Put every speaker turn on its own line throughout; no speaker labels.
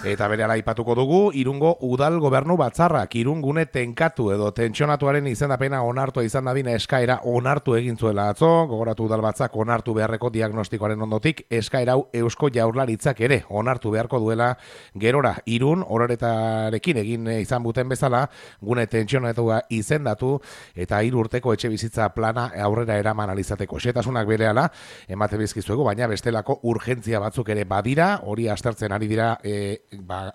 Eta berehala aipatuko dugu, Irungo udal gobernu batzarrak Irungune tenkatu edo tentsionatuaren izendapena onartua izan dadin eskaera onartu egin zuela atzo, gogoratu udal batzak onartu beharreko diagnostikoaren ondotik, eskaera hau Eusko Jaurlaritzak ere onartu beharko duela gerora Irun horretarekin egin izan buten bezala, gune tentsionatua izendatu eta 3 urteko etxe bizitza plana aurrera eraman alizateko. Xetasunak berehala emate bizkizuegu, baina bestelako urgentzia batzuk ere badira, hori aztertzen ari dira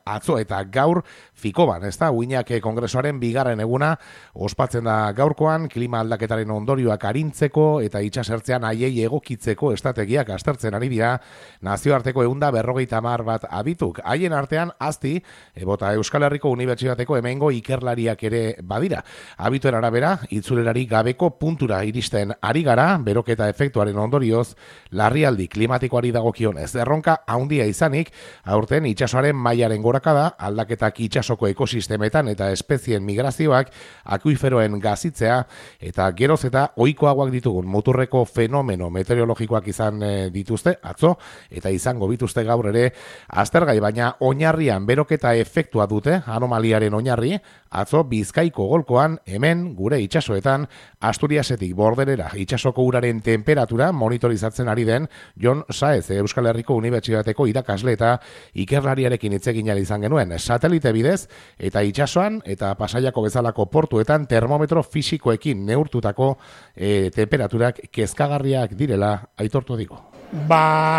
atzo eta gaur Fikoban, ez da, Uinak Kongresoaren bigarren eguna ospatzen da gaurkoan, klima aldaketaren ondorioak arintzeko eta itsasertzean haiei egokitzeko estrategiak aztertzen ari dira nazioarteko 150 bat abituk. Haien artean azti, bota Euskal Herriko Unibertsitateko hemengo ikerlariak ere badira. Abituen arabera, itzulerari gabeko puntura iristen ari gara, beroketa efektuaren ondorioz, larrialdi klimatikoari dagokionez. Erronka handia izanik, aurten itsasoaren mailaren gorakada, aldaketak itsasoko ekosistemetan eta espezien migrazioak, akuiferoen gazitzea eta geroz eta ohikoagoak ditugun muturreko fenomeno meteorologikoak izan dituzte atzo eta izango bituzte gaur ere aztergai, baina oinarrian beroketa efektua dute anomaliaren oinarri, atzo Bizkaiko golkoan hemen gure itsasoetan Asturiasetik Bordelera itsasoko uraren temperatura monitorizatzen ari den Jon Saez Euskal Herriko Unibertsitateko irakasle eta ikerlariarekin hitz egin izan genuen satelite bidez eta itsasoan eta Pasaiako bezalako portuetan termometro fisikoekin neurtutako temperaturak kezkagarriak direla aitortu digu.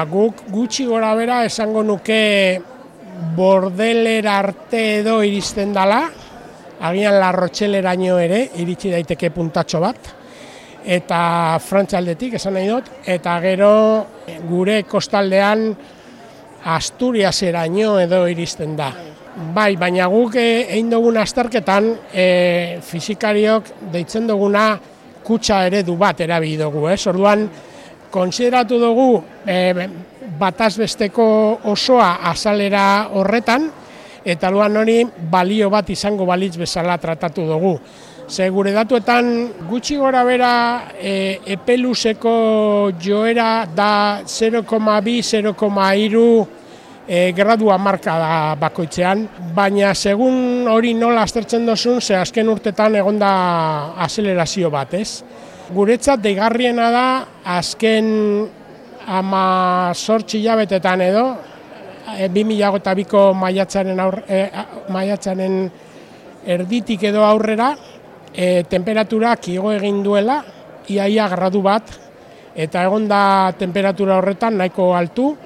Guk gutxi gora bera esango nuke Bordelera arte edo iristen dala, agian La Rocheleraino ere iritsi daiteke puntatxo bat, eta Frantzialdetik esan nahi dut, eta gero gure kostaldean Asturiaseraino edo iristen da. Bai, baina guk egin dugun azterketan fisikariok deitzen duguna kutsa eredu bat erabili dugu, orduan kontsideratu dugu batazbesteko osoa azalera horretan, eta luan hori balio bat izango balitz bezala tratatu dugu. Ze gure datuetan gutxi gora bera epeluzeko joera da 0,2-0,3 gradua marka da bakoitzean, baina segun hori nola aztertzen dozun, ze azken urtetan egonda azelerazio bat, ez? Guretzat deigarriena da azken 18 hilabetetan edo, 2002ko maiatzaren erditik edo aurrera, temperaturak igo egin duela, iaia gradu bat, eta egonda temperatura horretan nahiko altu,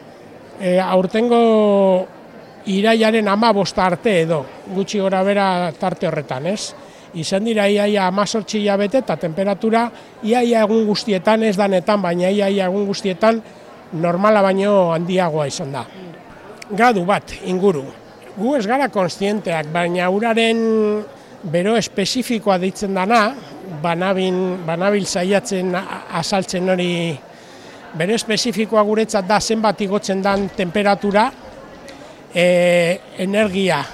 aurtengo iraiaren 15 arte edo, gutxi gora bera tarte horretan, ez? Izan dira iaia 18 hilabete eta temperatura iaia egun guztietan, ez danetan, baina iaia egun guztietan normala baino handiagoa izan da. Gradu bat inguru. Gu ez gara kontzienteak, baina uraren bero espezifikoa deitzen dana, banabil saiatzen azaltzen hori. Bero espezifikoa guretzat da zenbat igotzen dan temperatura, energia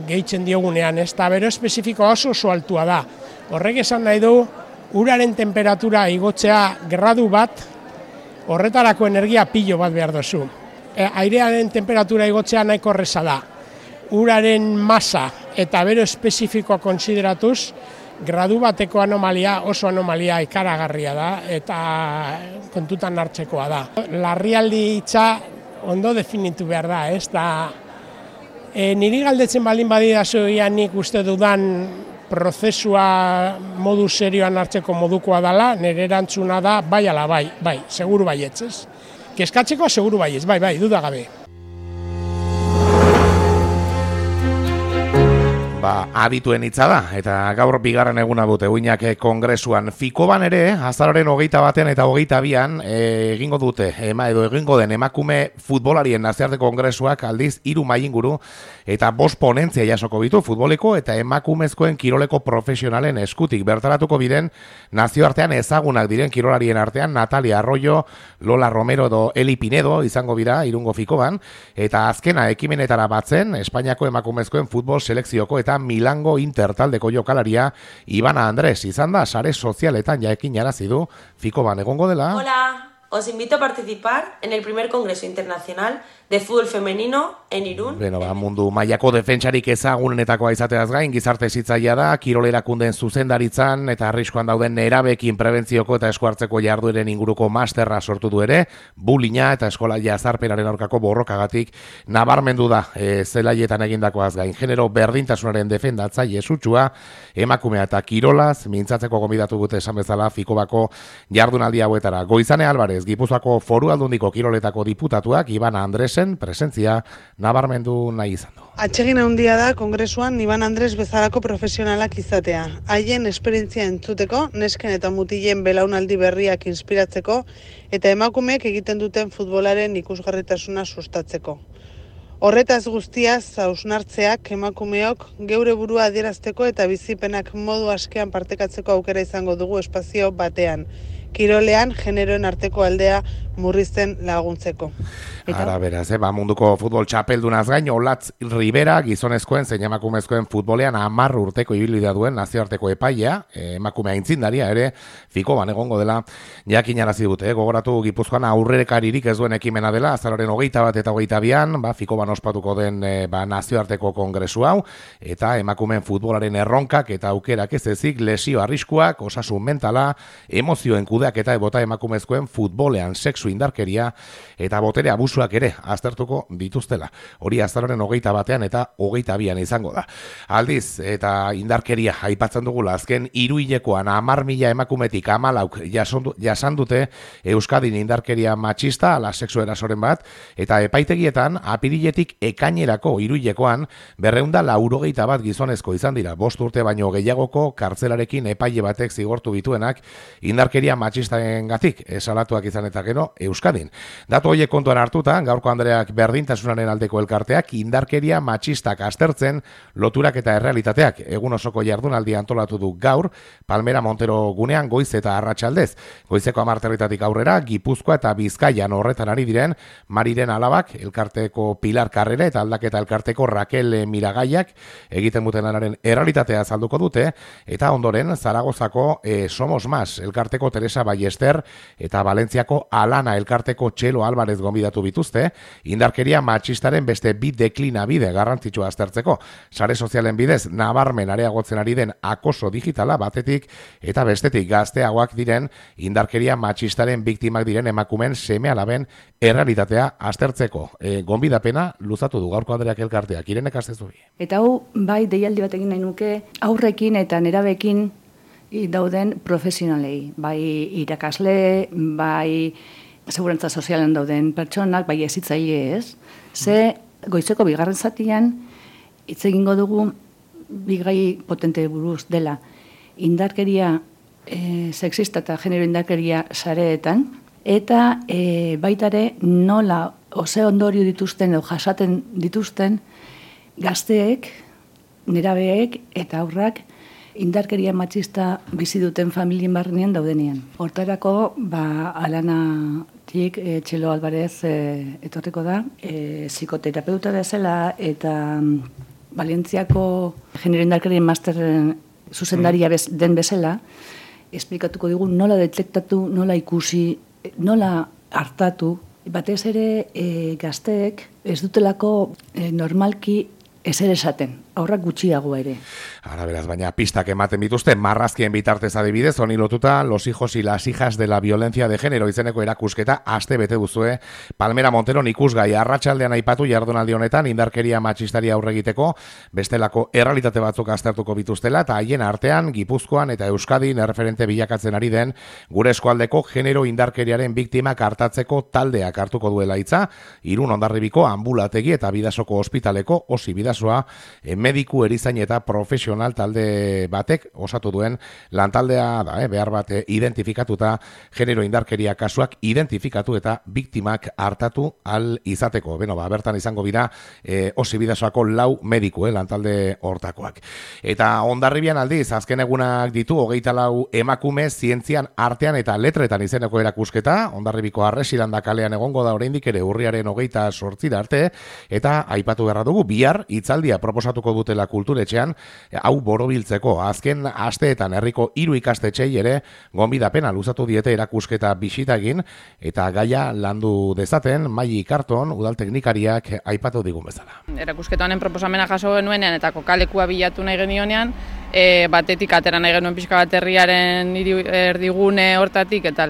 gehitzen diogunean, ez da bero espezifikoa oso altua da. Horrek esan nahi du, uraren temperatura igotzea gradu bat, horretarako energia pilo bat behar duzu. Airearen temperatura igotzea nahiko erreza da. Uraren masa eta bero espezifikoa kontsideratuz, gradu bateko anomalia oso anomalia ikaragarria da eta kontutan hartzekoa da. Larrialdi hitza ondo definitu behar da, ez da. Niri galdetzen baldin badidazu nik uste dudan prozesua modu serioan hartzeko modukoa dela, nire erantzuna da bai ala bai, seguru baietz, ez? Kezkatzeko seguru baietz, bai, dudagabe.
Adituen hitza da, eta gaur bigarren eguna dute Uinak Kongresuan. Fikoban ere, azaroren 21 eta 22 egingo dute, egingo den emakume futbolarien nazioarte kongresuak aldiz 3 mahai inguru eta 5 ponentzia jasoko ditu futboleko eta emakumezkoen kiroleko profesionalen eskutik. Bertaratuko biren nazioartean ezagunak diren kirolarien artean Natalia Arroyo, Lola Romero edo Eli Pinedo izango bira Irungo Fikoban, eta azkena ekimenetara batzen Espainiako emakumezkoen futbol selekzioko eta Milango Inter taldeko jokalaria Ibana Andres izan da sare sozialetan jakin jarazi du Fikoban egongo dela.
Hola, os invito a participar en el primer Congreso Internacional de Fútbol Femenino en Irún.
Mundu mailako defentsarik ezagunenetakoa izateaz gain, gizarte hezitzailea da, kirol erakundeen zuzendaritzan eta arriskuan dauden nerabeekin prebentzioko eta eskuartzeko jardueren inguruko masterra sortu du ere, bullyinga eta eskola jazarpenaren aurkako borrokagatik nabarmendu da zelaietan egindakoaz gain. Genero berdintasunaren defendatzaile sutsua, emakumea eta kirolaz, mintzatzeko gonbidatu dute esan bezala Fikobako jardunaldi hauetara. Goizane Alvarez, Gipuzkoako Foru Aldundiko kiroletako diputatuak, Ibana Andresen presentzia nabarmendu nahi izan du.
Atsegin handia da kongresuan Iban Andres bezalako profesionalak izatea. Haien esperientzia entzuteko, nesken eta mutilen belaunaldi berriak inspiratzeko eta emakumeek egiten duten futbolaren ikusgarritasuna sustatzeko. Horretaz guztiaz hausnartzeak emakumeok geure burua adierazteko eta bizipenak modu askean partekatzeko aukera izango dugu espazio batean. Kirolean generoen arteko aldea murrizten laguntzeko.
Ara beraz, munduko futbol txapeldunaz gain, Olatz Rivera, gizonezkoen zein emakumezkoen futbolean 10 urteko ibilbidea duen nazioarteko epaia, emakumea aitzindaria ere, Fikoban egongo dela jakinarazi dute. Gogoratu Gipuzkoan aurrekaririk ez duen ekimena dela, azaroaren 21 eta 22an, Fikoban ospatuko den nazioarteko kongresu hau, eta emakumeen futbolaren erronkak eta aukerak ez ezik, lesio arriskuak, osasun mentala, emozioen kudeaketa ebota emakumezkoen futbolean sexu indarkeria eta botere abusuak ere aztertuko dituztela. Hori azaroaren 21 eta 22an izango da. Aldiz, eta indarkeria aipatzen dugula, azken 3 hilekoan 10.000 emakumetik 14 jasan dute Euskadin indarkeria matxista, ala sexu erasoren bat, eta epaitegietan apiriletik ekainerako 3 hilekoan 291 gizonezko izan dira. 5 urte baino gehiagoko kartzelarekin epaile batek zigortu bituenak indarkeria matxistaengatik salatuak izan eta gero Euskadin. Datu horiek kontuan hartuta, gaurko Andreak berdintasunaren aldeko elkarteak indarkeria matxistak aztertzen loturak eta errealitateak. Egun osoko jardunaldi antolatu du gaur, Palmera Montero gunean goiz eta arratsaldez. Goizeko 10 aurrera, Gipuzkoa eta Bizkaian horretan ari diren Mariren alabak, elkarteko Pilar Karrera eta aldaketa elkarteko Raquel Miragaiak egiten duten lanaren errealitatea azalduko dute, eta ondoren Zaragozako Somos Más, elkarteko Teresa Ballester eta Valentziako Alana elkarteko Txelo Álvarez gonbidatu bituzte, indarkeria matxistaren beste bi deklinabide garrantzitsua aztertzeko. Sare sozialen bidez nabarmen areagotzen ari den akoso digitala batetik eta bestetik gazteagoak diren indarkeria matxistaren biktimak diren emakumen seme-alaben errealitatea aztertzeko. Gonbidapena luzatu du gaurko Andreak elkarteak. Irenek astezu bi.
Eta hau bai deialdi bat egin nahi nuke aurrekin eta nerabekin dauden profesionalei, bai irakasle, bai segurantza sozialen dauden pertsonak, bai hezitzaile ez. Ze goizeko bigarren zatian hitz egingo dugu bigai potente buruz dela indarkeria sexista eta genero indarkeria sareetan, eta baitare nola ose ondorio dituzten edo jasaten dituzten gazteek, nerabeek eta aurrak indarkeria matxista bizi duten familien barnean daudenean. Hortarako, Alanatik Txelo Álvarez etorriko da, psikoterapeuta bezala eta Valentziako genero indarkerien masterren zuzendaria den bezala, esplikatuko digu nola detektatu, nola ikusi, nola hartatu, batez ere gazteek ez dutelako normalki ezer esaten, aurrak gutxiago ere.
Ara beraz, baina pistak ematen bituzte, marrazkien bitartez adibidez, honi lotuta, los hijos y las hijas de la violencia de género izeneko erakusketa aste bete duzue, Palmera Montero ikusgai arratsaldean aipatu jardunaldi honetan indarkeria matxistari aurre egiteko, bestelako errealitate batzuk aztertuko bituztela, eta haien artean, Gipuzkoan eta Euskadin erreferente bilakatzen ari den, gure eskualdeko genero indarkeriaren biktimak hartatzeko taldeak hartuko duela hitza, Irun Hondarribiko ambulategi eta Bidasoko ospitaleko osi Bidasoa, mediku erizain eta profesional talde batek osatu duen lantaldea da, behar bat identifikatuta genero indarkeria kasuak identifikatu eta biktimak hartatu al izateko. Bertan izango bira osi Bidasoako 4 mediku lantalde hortakoak. Eta Hondarribian aldiz, azken egunak ditu 24 emakume zientzian, artean eta letretan izeneko erakusketa, Hondarribiko Arresiranda kalean egongo da oraindik ere urriaren 28 arte, eta aipatu beharra dugu bihar hitz hitzaldia proposatuko dutela kulturetxean, hau borobiltzeko. Azken asteetan herriko 3 ikastetxei ere gonbidapena luzatu diete erakusketa bisitagin, eta gaia landu dezaten Maili Karton udal teknikariak aipatu digun bezala.
Erakusketa honen proposamena jaso genuenean eta kokalekua bilatu nahi genionean, batetik atera nahi genuen pixka bat herriaren erdigune hortatik eta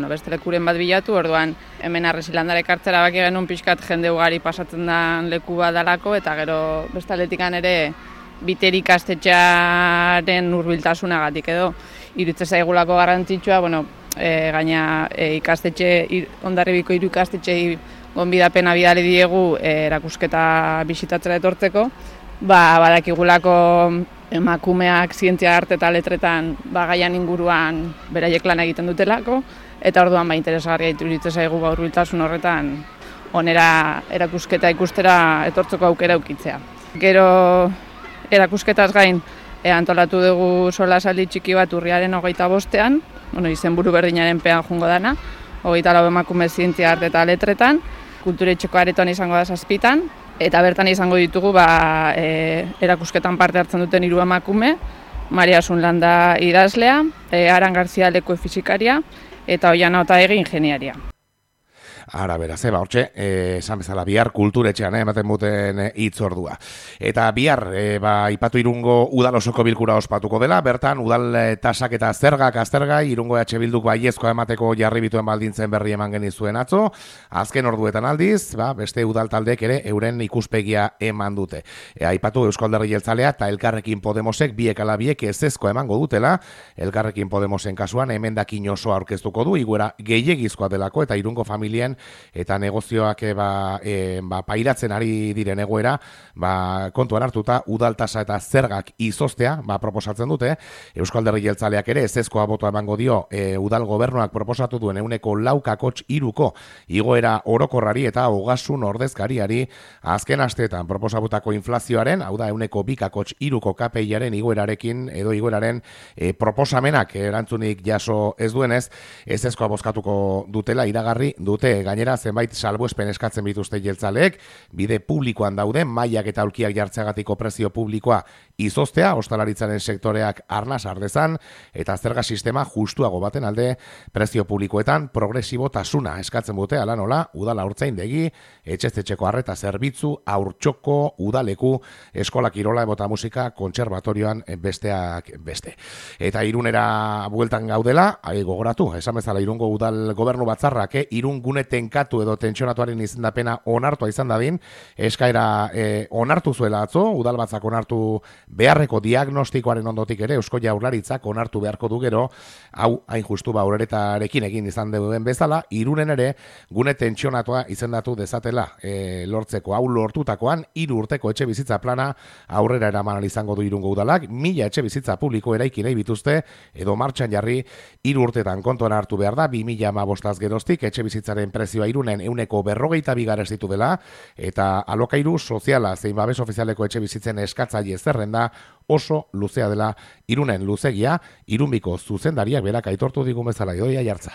beste lekuren bat bilatu, orduan hemen Arresilandara ekartzera baki genuen pixkat jende ugari pasatzen da leku bat dalako, eta gero beste aletikan ere Biteri ikastetxearen hurbiltasunagatik edo iruditzen zaigulako garrantzitsua, gaina Hondarribiko 3 ikastetxei gonbidapena bidali diegu erakusketa bisitatzera etortzeko, badakigulako emakumeak zientzia, arte eta letretan gaian inguruan beraiek lan egiten dutelako, eta orduan interesgarria iruditzen zaigu hurbiltasun horretan onera erakusketa ikustera etortzeko aukera ukitzea. Gero erakusketaz gain antolatu dugu solasaldi txiki bat urriaren 25ean, izenburu berdinaren pean jungo dana, 24 emakume zientzia, arte eta letretan, kulturetxeko aretoan izango da 7, eta bertan izango ditugu erakusketan parte hartzen duten 3 emakume, Maria Sunlanda idazlea, Aran Garzia leku fizikaria, eta Oiana Otaegi ingeniaria.
Ara, beraz, hortxe, esan bezala bihar kulturetxean ematen duten hitzordua. Eta bihar, ipatu Irungo udal osoko bilkura ospatuko dela, bertan udal tasak eta zergak aztergai, Irungo EH Bilduk baiezkoa emateko jarri bituen baldintzen berri eman genizuen atzo, azken orduetan aldiz, beste udal taldek ere euren ikuspegia eman dute. Aipatu Eusko Alderdi Jeltzalea eta Elkarrekin Podemosek biek ala biek ezezkoa emango dutela, Elkarrekin Podemosen kasuan emendakin osoa aurkeztuko du, igoera gehiegizkoa delako eta Irungo familien eta negozioak pairatzen ari diren egoera, kontuan hartuta udaltasa eta zergak izoztea proposatzen dute. Eusko Alderdi Jeltzaleak ere ezezkoa botoa emango dio udal gobernuak proposatu duen 4,3% igoera orokorrari eta ogasun ordezkariari azken asteetan proposatutako inflazioaren, hau da 2,3% KPIaren igoerarekin edo igoeraren proposamenak erantzunik jaso ez duenez, ezezkoa bozkatuko dutela iragarri dute. Gainera, zenbait salbuespen eskatzen bituzte jeltzaleek, bide publikoan dauden mailak eta aulkiak jartzeagatiko prezio publikoa izoztea, ostalaritzaren sektoreak arnas ardezan, eta zerga sistema justuago baten alde prezio publikoetan progresibotasuna eskatzen dute, ala nola, udala haurtzaindegi, etxez-etxeko arreta zerbitzu, haurtxoko, udaleku, eskola kirola eta musika kontserbatorioan besteak beste. Eta Irunera bueltan gaudela, gogoratu, esan bezala Irungo udal gobernu batzarrak, Irun gune tenkatu edo tentsionatuaren izendapena onartua izan dadin, eskaera onartu zuela atzo, udalbatzak onartu beharreko diagnostikoaren ondotik ere, Eusko Jaurlaritzak onartu beharko du gero, hau hain justu aurretarekin egin izan duen bezala, Irunen ere gune tentsionatua izendatu dezatela lortzeko. Hau lortutakoan 3 urteko etxe bizitza plana aurrera eraman izango du Irungo udalak, 1000 etxe bizitza publiko eraiki nahi bituzte, edo martxan jarri 3 urtetan kontuan hartu behar da, 2015 geroztik etxe bizitzaren prezioa Irunen 142 garez ditu dela, eta alokairu soziala zein babes ofizialeko etxe bizitzen eskatzaile zerrenda oso luzea dela Irunen luzegia, Irunbiko zuzendariak berak aitortu digun bezala. Idoia Jartza.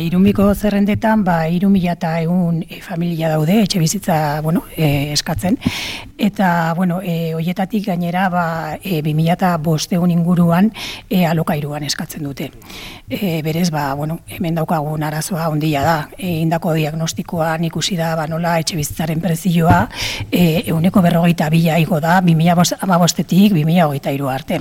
Irunbiko zerrendetan 3.100 familia daude etxe bizitza eskatzen, eta hoietatik gainera 2.500 inguruan alokairuan eskatzen dute. Berez, hemen daukagun arazoa handia da. Indako diagnostikoan ikusi da nola etxe bizitzaren prezioa 142 igo da 2015-tik 2023 arte.